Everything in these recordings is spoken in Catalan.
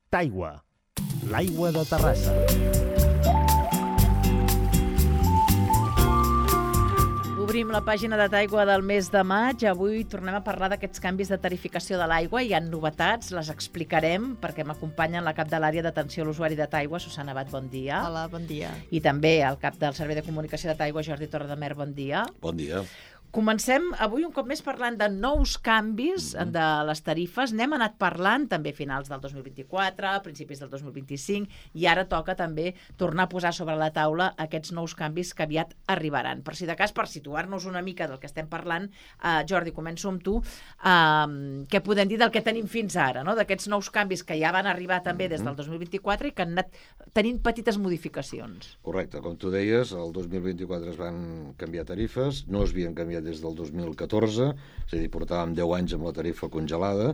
Taigua, l'aigua de Terrassa. Obrim la pàgina de Taigua del mes de maig. Avui tornem a parlar d'aquests canvis de tarificació de l'aigua. Hi ha novetats, les explicarem, perquè m'acompanyen la cap de l'àrea d'atenció a l'usuari de Taigua, Susana Abad, bon dia. Hola, bon dia. I també el cap del Servei de Comunicació de Taigua, Jordi Torredemer, bon dia. Bon dia. Comencem avui un cop més parlant de nous canvis de les tarifes. N'hem anat parlant també a finals del 2024, a principis del 2025, i ara toca també tornar a posar sobre la taula aquests nous canvis que aviat arribaran. Per si de cas, per situar-nos una mica del que estem parlant, Jordi, començo amb tu. Què podem dir del que tenim fins ara, no? D'aquests nous canvis que ja van arribar també des del 2024 i que han anat tenint petites modificacions. Correcte, com tu deies, el 2024 es van canviar tarifes, no es havien canviat des del 2014, és a dir, portàvem 10 anys amb la tarifa congelada,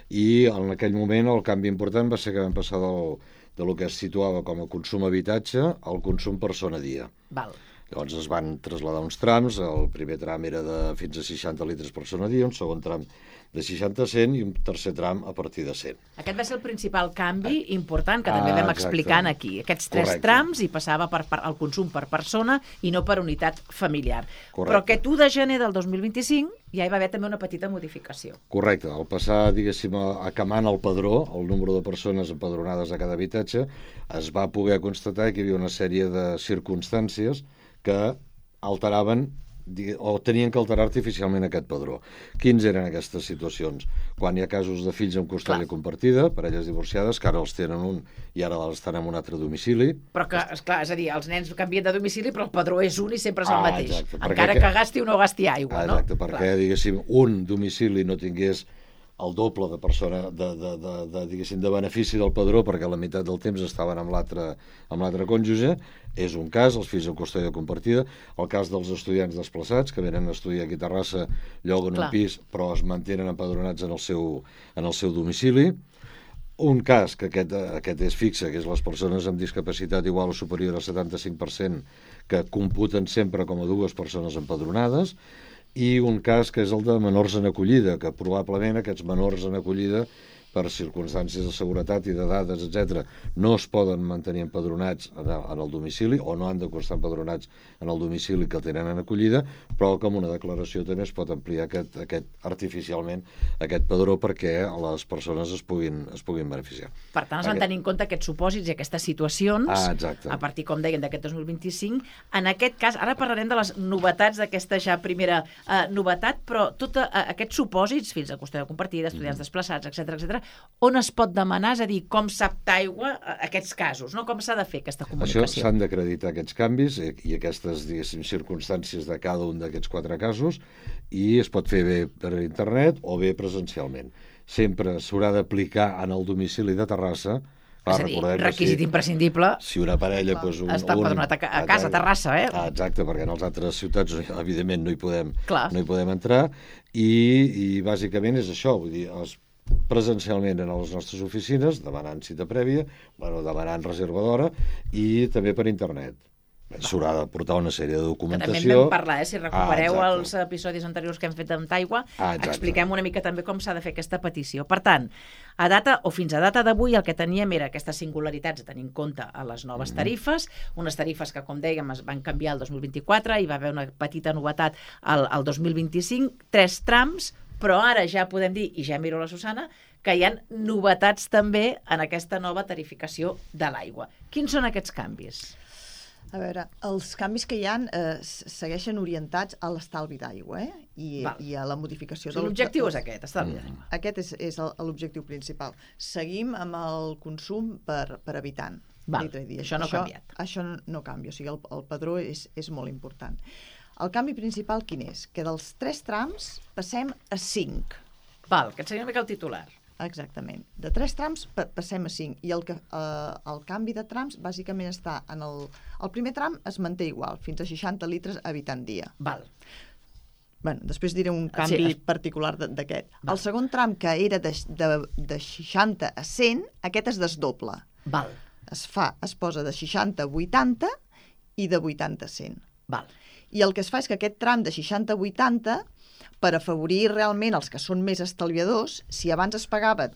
i en aquell moment el canvi important va ser que vam passar del que es situava com a consum habitatge al consum persona dia. Val. Llavors es van traslladar uns trams, el primer tram era de fins a 60 litres persona dia, un segon tram de 60 a 100 i un tercer tram a partir de 100. Aquest va ser el principal canvi important que també vam explicant aquí. Aquests tres trams i passava al consum per persona i no per unitat familiar. Correcte. Però aquest 1 de gener del 2025 ja hi va haver també una petita modificació. Correcte. Al passar, diguéssim, acamant el padró, el número de persones empadronades a cada habitatge, es va poder constatar que hi havia una sèrie de circumstàncies que alteraven o tenien que alterar artificialment aquest padró. Quins eren aquestes situacions? Quan hi ha casos de fills amb custòdia compartida, parelles divorciades, que ara els tenen un i ara estan en un altre domicili. Però que, esclar, és a dir, els nens canvien de domicili, però el padró és un i sempre és el mateix. Exacte, encara que gasti o no gasti aigua, no? Exacte, perquè, diguéssim, un domicili no tingués el doble de persona, diguéssim, de benefici del padró, perquè la meitat del temps estaven amb l'altre cònjuge. És un cas, els fills amb custòdia compartida, el cas dels estudiants desplaçats, que venen a estudiar aquí a Terrassa, lloguen un pis, però es mantenen empadronats en el seu domicili. Un cas, que aquest és fixe, que és les persones amb discapacitat igual o superior al 75%, que computen sempre com a dues persones empadronades, i un cas que és el de menors en acollida, que probablement aquests menors en acollida, per circumstàncies de seguretat i de dades, etc., no es poden mantenir empadronats en el domicili o no han de estar empadronats en el domicili que tenen en acollida, però com una declaració també es pot ampliar artificialment aquest padró perquè les persones es puguin beneficiar. Per tant, es van tenir en compte aquests supòsits i aquestes situacions a partir, com deien, d'aquest 2025. En aquest cas, ara parlarem de les novetats d'aquesta ja primera novetat, però tots aquests supòsits, fills de custòdia compartida, estudiants desplaçats, etc., on es pot demanar, és a dir, com sap Taigua aquests casos, no? Com s'ha de fer aquesta comunicació? Això s'han d'acreditar aquests canvis i aquestes, diguéssim, circumstàncies de cada un d'aquests 4 casos, i es pot fer bé per internet o bé presencialment. Sempre s'haurà d'aplicar en el domicili de Terrassa. És a dir, requisit imprescindible. Si una parella... Està empadronat a casa, a Terrassa, Exacte, perquè en les altres ciutats, evidentment, no hi podem entrar, i bàsicament és això, vull dir, presencialment en les nostres oficines, demanant cita prèvia, demanant reserva d'hora, i també per internet. S'haurà de portar una sèrie de documentació. Que també en vam parlar, si recupereu els episodis anteriors que hem fet amb Taigua, expliquem una mica també com s'ha de fer aquesta petició. Per tant, fins a data d'avui el que teníem era aquestes singularitats a tenir en compte a les noves tarifes, unes tarifes que, com dèiem, es van canviar el 2024, hi va haver una petita novetat al 2025, 3 trams, però ara ja podem dir, i ja miro la Susana, que hi ha novetats també en aquesta nova tarificació de l'aigua. Quins són aquests canvis? A veure, els canvis que hi ha segueixen orientats a l'estalvi d'aigua i a la modificació de... L'objectiu és aquest, estalvi d'aigua. Aquest és l'objectiu principal. Seguim amb el consum per habitant. Això no ha canviat. Això no canvia, o sigui, el padró és molt important. El canvi principal quin és? Que dels 3 trams passem a 5. Que et seria una mica el titular. Exactament. De 3 trams passem a 5. I el canvi de trams bàsicament està en el primer tram es manté igual, fins a 60 litres habitant dia. Després diré un canvi particular d'aquest. El segon tram, que era de 60 a 100, aquest es desdobla. Es posa de 60 a 80 i de 80 a 100. I el que es fa és que aquest tram de 60 a 80, per afavorir realment els que són més estalviadors, si abans es pagava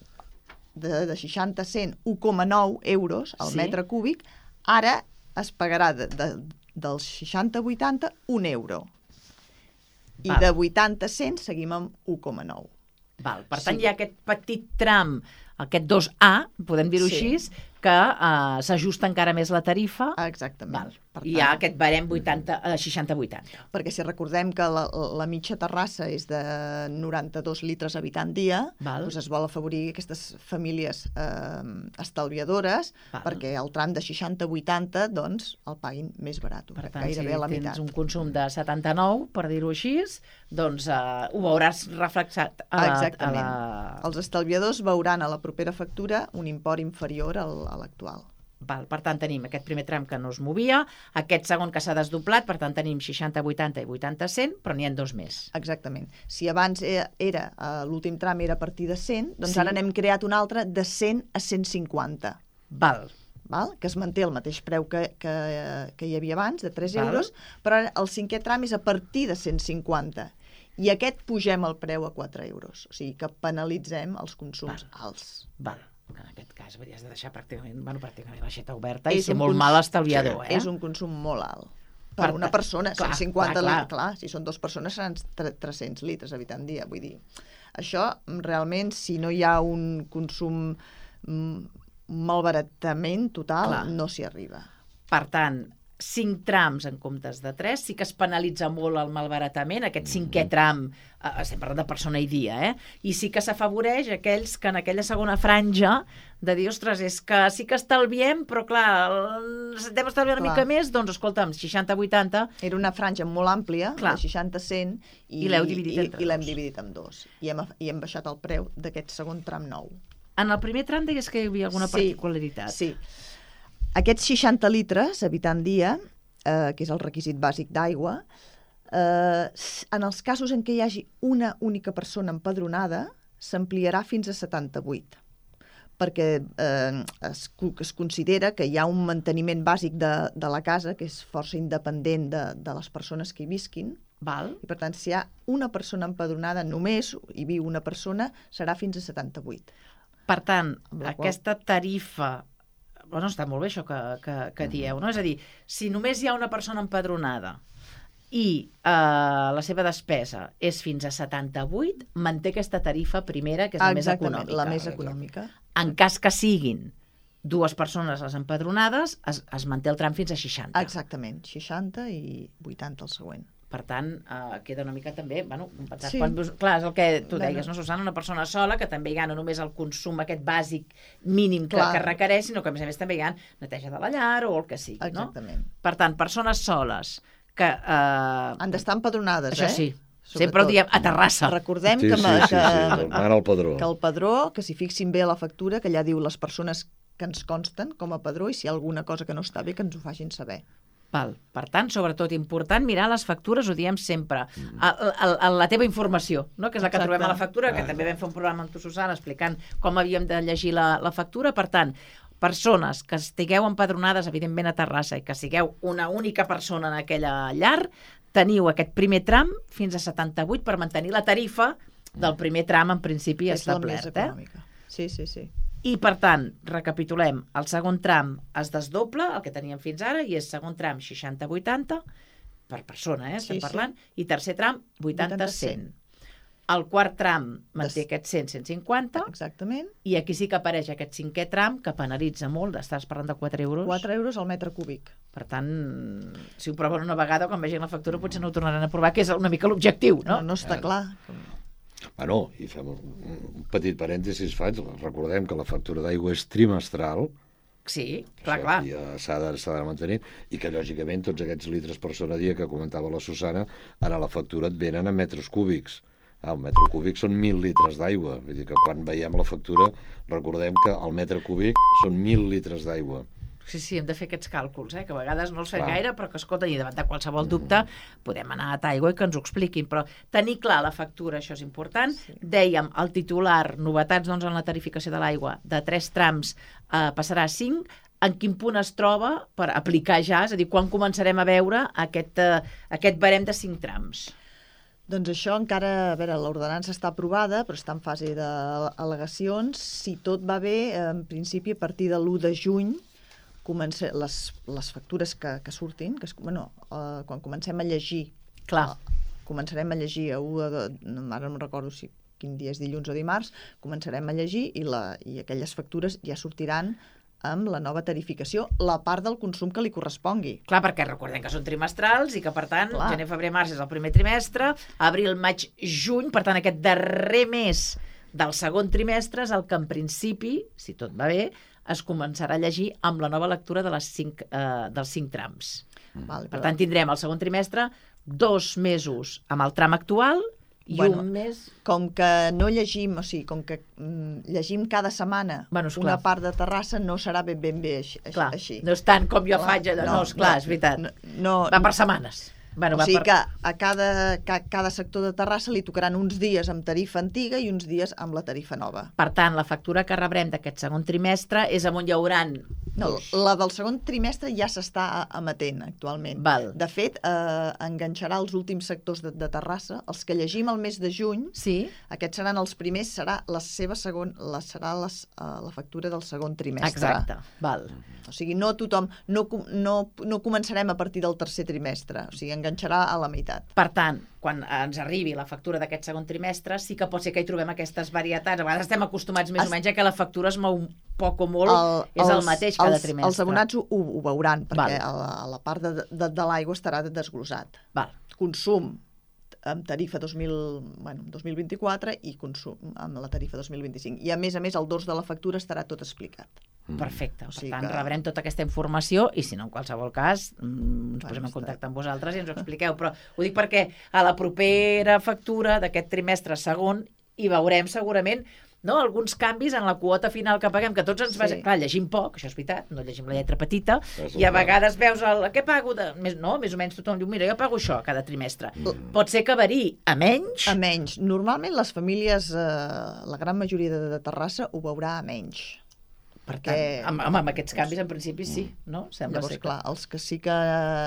de 60 a 100, 1,9 euros al Sí. metre cúbic, ara es pagarà dels 60 a 80 1 euro. I Val. de 80 a 100 seguim amb 1,9. Val. Per tant, Sí. hi ha aquest petit tram, aquest 2A, podem dir-ho Sí. així, que s'ajusta encara més la tarifa. Exactament. Val. Per I hi ha aquest barem 60-80. Perquè si recordem que la mitja Terrassa és de 92 litres habitant dia, Val. doncs es vol afavorir aquestes famílies estalviadores, Val. perquè el tram de 60 a 80 doncs, el paguin més barat, Per tant, gairebé si a la tens meitat. un consum de 79, per dir-ho així, doncs ho veuràs reflexat Exactament. Els estalviadors veuran a la propera factura un import inferior a l'actual. Val, per tant, tenim aquest primer tram que no es movia, aquest segon que s'ha desdoblat, per tant, tenim 60-80 i 80-100, però n'hi ha dos més. Exactament. Si abans l'últim tram era a partir de 100, doncs Sí. ara n'hem creat un altre de 100 a 150. Val. Que es manté el mateix preu que hi havia abans, de 3 Val. euros, però ara el cinquè tram és a partir de 150. I aquest pugem el preu a 4 euros. O sigui que penalitzem els consums alts. Val. En aquest cas, has de deixar pràcticament l'aixeta oberta i És ser un molt mal estalviador, És un consum molt alt. Per Per una tant, persona, clar, 150 clar. litres. Clar, si són dues persones seran 300 litres habitant dia. Vull dir, això realment, si no hi ha un consum malbaratament total, Clar. no s'hi arriba. Per tant, 5 trams en comptes de 3, sí que es penalitza molt el malbaratament, aquest cinquè tram, estem parlant de persona i dia, i sí que s'afavoreix aquells que en aquella segona franja de dir, ostres, és que sí que estalviem, però clar, hem estalviat una mica més, doncs escolta'm, 60-80... Era una franja molt àmplia, Clar. de 60 a 100, I l'heu dividit entre i l'hem dos. dividit en dos. I hem baixat el preu d'aquest segon tram nou. En el primer tram deies que hi havia alguna particularitat. Sí. Aquests 60 litres habitant dia, que és el requisit bàsic d'aigua, en els casos en què hi hagi una única persona empadronada, s'ampliarà fins a 78, perquè es considera que hi ha un manteniment bàsic de la casa que és força independent de les persones que hi visquin, Val? i per tant, si hi ha una persona empadronada, només hi viu una persona, serà fins a 78. Per tant, Amb la qual- aquesta tarifa... Bueno, està molt bé això que dieu, no? És a dir, si només hi ha una persona empadronada i la seva despesa és fins a 78, manté aquesta tarifa primera, que és la més Exactament, econòmica. la més econòmica. En cas que siguin dues persones les empadronades, es manté el tram fins a 60. Exactament, 60 i 80 el següent. Per tant, queda una mica també, bueno, pensar, Sí. clar, és el que tu Bueno. deies, no, Susana? Una persona sola, que també hi ha no només el consum aquest bàsic mínim que Clar. requereix, sinó que a més també hi ha neteja de la llar o el que sigui, no? Exactament. Per tant, persones soles que... Han d'estar empadronades, Això sí, sempre Sobretot. ho diem a Terrassa. Recordem Sí, que, sí, ma- sí, sí, mana el padró. que el padró, que s'hi fixin bé a la factura, que allà diu les persones que ens consten com a padró, i si hi ha alguna cosa que no està bé, que ens ho facin saber. Val. Per tant, sobretot, important mirar les factures, ho diem sempre, la teva informació, no? Que és la que Exacte. trobem a la factura, que també vam fer un programa amb tu, Susana, explicant com havíem de llegir la factura. Per tant, persones que estigueu empadronades, evidentment, a Terrassa, i que sigueu una única persona en aquella llar, teniu aquest primer tram fins a 78 per mantenir la tarifa del primer tram, en principi, És la més establert. econòmica. Sí, sí, sí. I, per tant, recapitulem, el segon tram es desdobla, el que teníem fins ara, i és segon tram 60-80, per persona, estem Sí, sí. parlant, i tercer tram 80-100. 80-100. El quart tram manté aquest 100-150, Exactament. i aquí sí que apareix aquest cinquè tram, que penalitza molt, estàs parlant de 4 euros. 4 euros al metre cúbic. Per tant, si ho proven una vegada, quan vegin la factura potser no ho tornaran a provar, que és una mica l'objectiu, no? No està clar. Bueno, i fem un petit parèntesis, recordem que la factura d'aigua és trimestral, Sí, clar, això clar. ja s'ha de mantenir, i que, lògicament, tots aquests litres per persona dia que comentava la Susana, ara la factura et venen en metres cúbics. El metre cúbic són 1.000 litres d'aigua. Vull dir que quan veiem la factura recordem que el metre cúbic són 1.000 litres d'aigua. Sí, hem de fer aquests càlculs, que a vegades no els fem Clar. gaire, però que, escolta, i davant de qualsevol dubte podem anar a Taigua i que ens ho expliquin. Però tenir clar la factura, això és important. Sí. Dèiem, el titular, novetats doncs, en la tarificació de l'aigua, de 3 trams passarà a 5. En quin punt es troba per aplicar ja? És a dir, quan començarem a veure aquest barem de 5 trams? Doncs això encara, a veure, l'ordenança està aprovada, però està en fase d'al·legacions. Si tot va bé, en principi, a partir de l'1 de juny, les factures que surtin, quan comencem a llegir, començarem a llegir ara no recordo quin dia és, dilluns o dimarts, començarem a llegir i aquelles factures ja sortiran amb la nova tarificació, la part del consum que li correspongui. Clar, perquè recordem que són trimestrals i que, per tant, gener, febrer, març és el primer trimestre, abril, maig, juny, per tant, aquest darrer mes del segon trimestre és el que, en principi, si tot va bé, es començarà a llegir amb la nova lectura dels 5 trams. Per tant, tindrem el segon trimestre 2 mesos amb el tram actual i un mes... Com que no llegim, o sigui, com que llegim cada setmana una part de Terrassa, no serà ben bé així. No és tant com jo faig, és veritat. Va per setmanes. O sigui que a cada sector de Terrassa li tocaran uns dies amb tarifa antiga i uns dies amb la tarifa nova. Per tant, la factura que rebrem d'aquest segon trimestre és on hi hauran... No, la del segon trimestre ja s'està emetent actualment. De fet, enganxarà els últims sectors de Terrassa, els que llegim el mes de juny, aquests seran els primers, serà la factura del segon trimestre. Exacte, val. O sigui, no tothom, no començarem a partir del tercer trimestre, o sigui, enganxarà a la meitat. Per tant, quan ens arribi la factura d'aquest segon trimestre, sí que pot ser que hi trobem aquestes varietats. A vegades estem acostumats més o menys a que la factura es mou poc o molt, és el mateix cada trimestre. Els abonats ho veuran, perquè a la part de l'aigua estarà desglosat. Consum amb tarifa 2024 i consum amb la tarifa 2025. I a més, el dors de la factura estarà tot explicat. Perfecte. Per tant, rebrem tota aquesta informació i, si no, en qualsevol cas, ens posem en contacte amb vosaltres i ens ho expliqueu. Però ho dic perquè a la propera factura d'aquest trimestre segon hi veurem segurament alguns canvis en la quota final que paguem, que tots ens va... Clar, llegim poc, això és veritat, no llegim la lletra petita, i a vegades veus què pago? Més o menys tothom diu, mira, jo pago això cada trimestre. Pot ser que variï a menys? A menys. Normalment les famílies, la gran majoria de Terrassa, ho veurà a menys. Per tant, amb aquests canvis, en principi, sí, no? Llavors, clar, els que sí que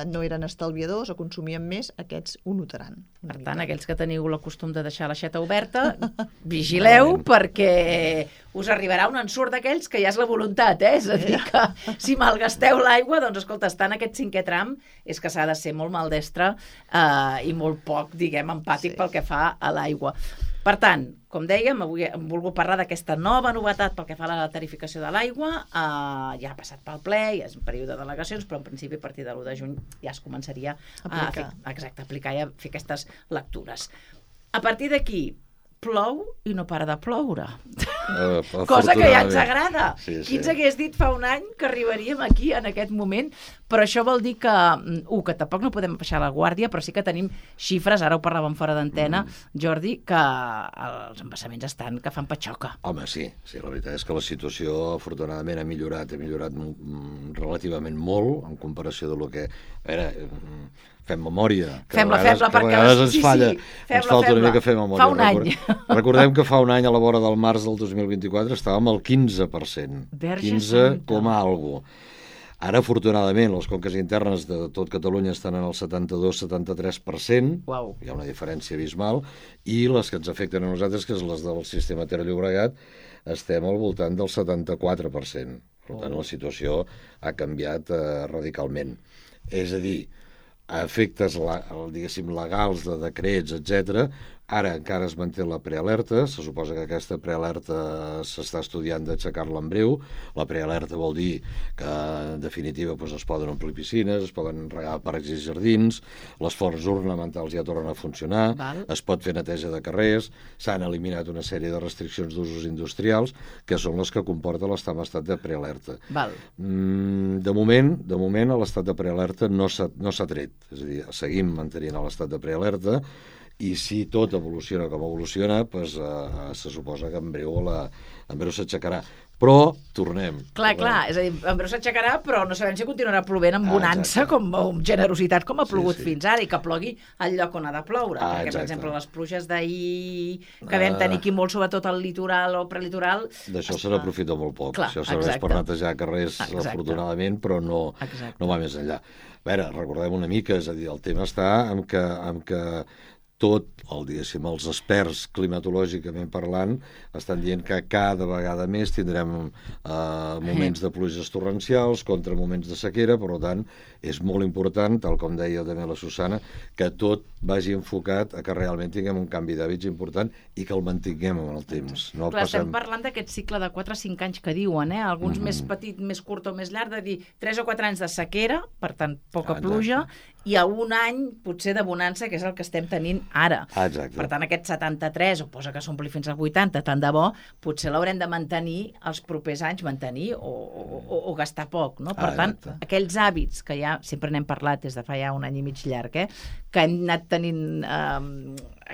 no eren estalviadors o consumien més, aquests ho notaran. Per tant, aquells que teniu el costum de deixar l'aixeta oberta, vigileu, perquè us arribarà un ensurt d'aquells que ja és la voluntat, És a dir, que si malgasteu l'aigua, doncs, escolta, estar en aquest 5è tram és que s'ha de ser molt maldestre i molt poc, diguem, empàtic pel que fa a l'aigua. Per tant, com dèiem, avui hem volgut parlar d'aquesta nova novetat pel que fa a la tarificació de l'aigua. Ja ha passat pel ple, ja és un període de delegacions, però en principi a partir de l'1 de juny ja es començaria a aplicar i a fer aquestes lectures. A partir d'aquí, plou i no para de ploure. Cosa que ja ens agrada. Qui ens hagués dit fa un any que arribaríem aquí en aquest moment? Però això vol dir que tampoc no podem baixar la guàrdia, però sí que tenim xifres, ara ho parlàvem fora d'antena, Jordi, que els embassaments estan que fan patxoca. Home, sí, la veritat és que la situació afortunadament ha millorat relativament molt en comparació de lo que... A veure, fem memòria. Fem-la, perquè... a vegades ens falla, ens falta una mica fer memòria. Fa un any. Recordem que fa un any, a la vora del març del 2024, estàvem al 15%. 15, alguna cosa. Ara, afortunadament, les conques internes de tot Catalunya estan en el 72-73%, hi ha una diferència abismal, i les que ens afecten a nosaltres, que és les del sistema Ter-Llobregat, estem al voltant del 74%. Per tant, la situació ha canviat radicalment. És a dir, a efectes, diguéssim, legals de decrets, etc. Ara encara es manté la prealerta, se suposa que aquesta prealerta s'està estudiant d'aixecar-la en breu. La prealerta vol dir que, en definitiva, es poden omplir piscines, es poden regar parcs i jardins, les fonts ornamentals ja tornen a funcionar, es pot fer neteja de carrers, s'han eliminat una sèrie de restriccions d'usos industrials, que són les que comporta l'estar en estat de prealerta. De moment, l'estat de prealerta no s'ha tret, és a dir, seguim mantenint l'estat de prealerta, i si tot evoluciona com evoluciona, se suposa que en breu s'aixecarà. Però tornem. Clar, és a dir, en breu s'aixecarà, però no sabem si continuarà plovent amb bonança, amb generositat, com ha plogut fins ara, i que plogui al lloc on ha de ploure. Perquè, per exemple, les pluges d'ahir que vam tenir aquí molt, sobretot al litoral o prelitoral... D'això se n'aprofita molt poc. Això serveix per netejar carrers, afortunadament, però no va més enllà. A veure, recordem una mica, és a dir, el tema està en que tot, els experts climatològicament parlant estan dient que cada vegada més tindrem moments de pluges torrencials contra moments de sequera, per tant és molt important, tal com deia també la Susana, que tot vagi enfocat a que realment tinguem un canvi d'hàbits important i que el mantinguem en el temps. No clar, estem parlant d'aquest cicle de 4 a 5 anys que diuen, alguns més petit, més curt o més llarg, de dir 3 o 4 anys de sequera, per tant poca pluja, i a un any potser de bonança, que és el que estem tenint ara. Exacte. Per tant, aquest 73, o posa que s'ompli fins al 80, tant de bo, potser l'haurem de mantenir els propers anys, mantenir o gastar poc, no? Per tant, aquells hàbits que ja sempre n'hem parlat des de fa ja un any i mig llarg, que hem anat tenint a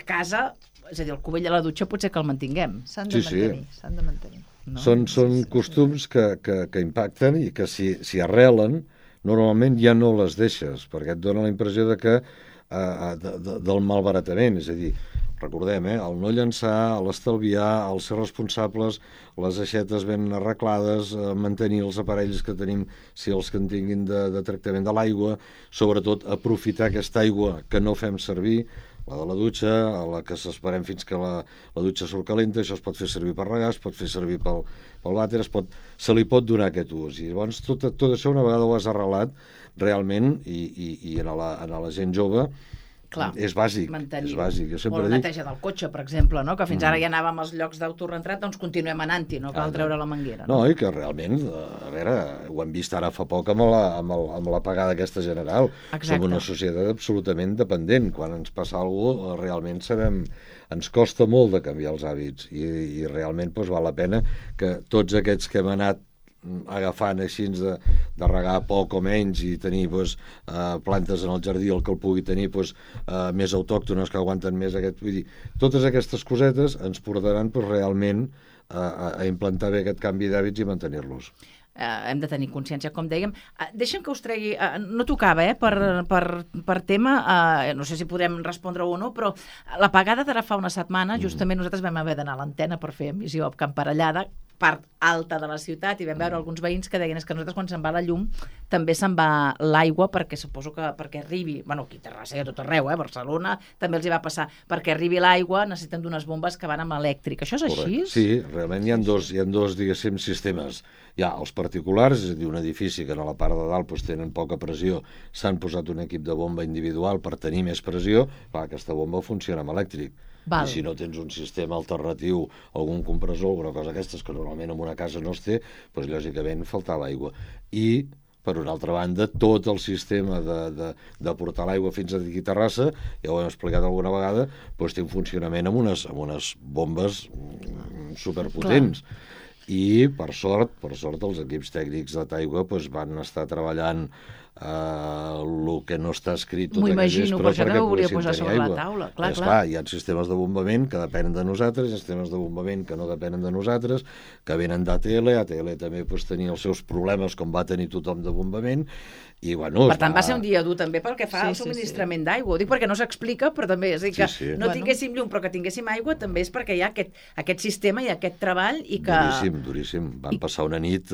casa, és a dir, el cubell a la dutxa potser que el mantinguem. S'han de mantenir. No? Són costums que impacten i que si arrelen, normalment ja no les deixes, perquè et dona la impressió del malbaratament, és a dir, recordem, el no llançar, l'estalviar, el ser responsables, les aixetes ben arreglades, mantenir els aparells que tenim, si els que en tinguin de tractament de l'aigua, sobretot aprofitar aquesta aigua que no fem servir, la de la dutxa, a la que s'esperem fins que la dutxa surt calenta, això es pot fer servir per regar, es pot fer servir pel vàter, se li pot donar aquest ús. I llavors tot això, una vegada ho has arrelat, realment, i en la gent jove, clar, és bàsic. Mantenir. És bàsic. O la neteja del cotxe, per exemple, no? Que fins ara ja anàvem als llocs d'autorentrat, doncs continuem anant-hi, no cal treure la manguera. No, i que realment, a veure, ho hem vist ara fa poc amb l'apagada aquesta general. Exacte. Som una societat absolutament dependent. Quan ens passa alguna cosa, realment ens costa molt de canviar els hàbits i realment val la pena que tots aquests que hem anat agafant així de regar poc o menys i tenir plantes en el jardí, el que el pugui tenir més autòctones que aguanten més vull dir, totes aquestes cosetes ens portaran realment a implantar bé aquest canvi d'hàbits i mantenir-los. Hem de tenir consciència, com dèiem. Deixa'm que us tregui, no tocava per tema, no sé si podem respondre o no, però l'apagada d'ara fa una setmana, justament nosaltres vam haver d'anar a l'antena per fer emissió a Camp Parellada, part alta de la ciutat, i vam veure alguns veïns que deien que nosaltres quan se'n va la llum també se'n va l'aigua, perquè suposo que perquè arribi, aquí a Terrassa i a tot arreu, Barcelona també els hi va passar, perquè arribi l'aigua necessiten d'unes bombes que van amb elèctric. Això és així? Sí, realment hi ha dos diguéssim, sistemes. Hi ha els particulars, és a dir, un edifici que a la part de dalt tenen poca pressió, s'han posat un equip de bomba individual per tenir més pressió, aquesta bomba funciona amb elèctric. I si no tens un sistema alternatiu, algun compressor, alguna cosa d'aquestes que normalment en una casa no es té, lògicament faltava aigua. I, per una altra banda, tot el sistema de portar l'aigua fins aquí a Terrassa, ja ho hem explicat alguna vegada, té un funcionament amb unes bombes superpotents. I, per sort, els equips tècnics de Taigua van estar treballant el que no està escrit tot aquest vespre perquè poguessin tenir aigua. Clar, hi ha sistemes de bombament que depenen de nosaltres, hi ha sistemes de bombament que no depenen de nosaltres, que venen d'ATL, ATL també tenia els seus problemes com va tenir tothom de bombament, i per tant va ser un dia dur també pel que fa al subministrament d'aigua. Ho dic perquè no s'explica, però també és dir que no tinguéssim llum però que tinguéssim aigua també és perquè hi ha aquest sistema i aquest treball i que... Duríssim. Van passar una nit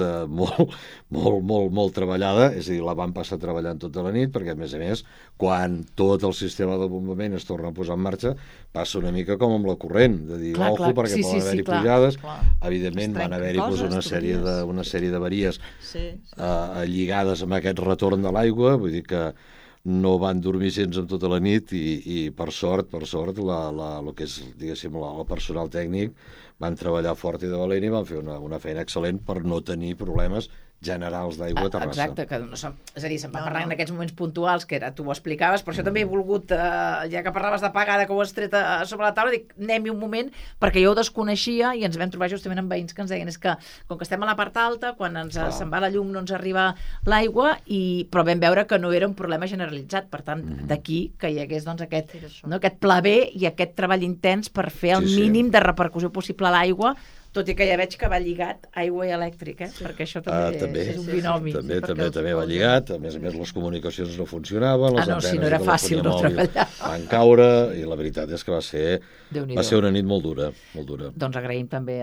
molt treballada, és a dir, la van passar treballant tota la nit, perquè a més, quan tot el sistema de bombament es torna a posar en marxa, passa una mica com amb la corrent, de dir, ojo, perquè poden haver-hi pujades. Evidentment van haver-hi una sèrie d'avaries lligades amb aquest retorn de l'aigua, vull dir que no van dormir gens en tota la nit i per sort, el que és, diguéssim, el personal tècnic van treballar fort i de valent i van fer una feina excel·lent per no tenir problemes generals d'aigua a Terrassa. Exacte, és a dir, se'n va parlar en aquests moments puntuals, que tu ho explicaves, per això també he volgut, ja que parlaves d'apagada, que ho has tret sobre la taula, dic, anem-hi un moment, perquè jo ho desconeixia i ens vam trobar justament amb veïns que ens deien, és que, com que estem a la part alta, quan se'n va la llum no ens arriba l'aigua, però vam veure que no era un problema generalitzat, per tant, d'aquí que hi hagués aquest pla B i aquest treball intens per fer el mínim de repercussió possible a l'aigua, tot i que ja veig que va lligat aigua i elèctric, perquè això també és un binomi. També va lligat, a més les comunicacions no funcionaven, les antenes no era fàcil no treballar. Van caure, i la veritat és que va ser una nit molt dura. Doncs agraïm també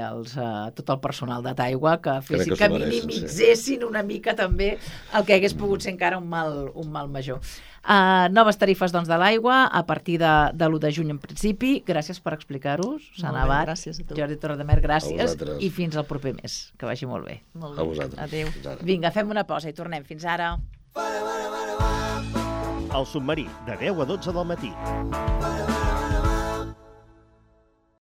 tot el personal de Taigua que minimitzessin una mica també el que hagués pogut ser encara un mal major. Noves tarifes doncs, de l'aigua a partir de l'1 de juny en principi. Gràcies per explicar-us. Molt bé, gràcies a tu. Jordi Torredemer, gràcies. A I fins al proper mes. Que vagi molt bé. Molt A bé. vosaltres. Adéu. Fins ara. Vinga, fem una pausa i tornem. Fins ara. El submarí, de 10 a 12 del matí.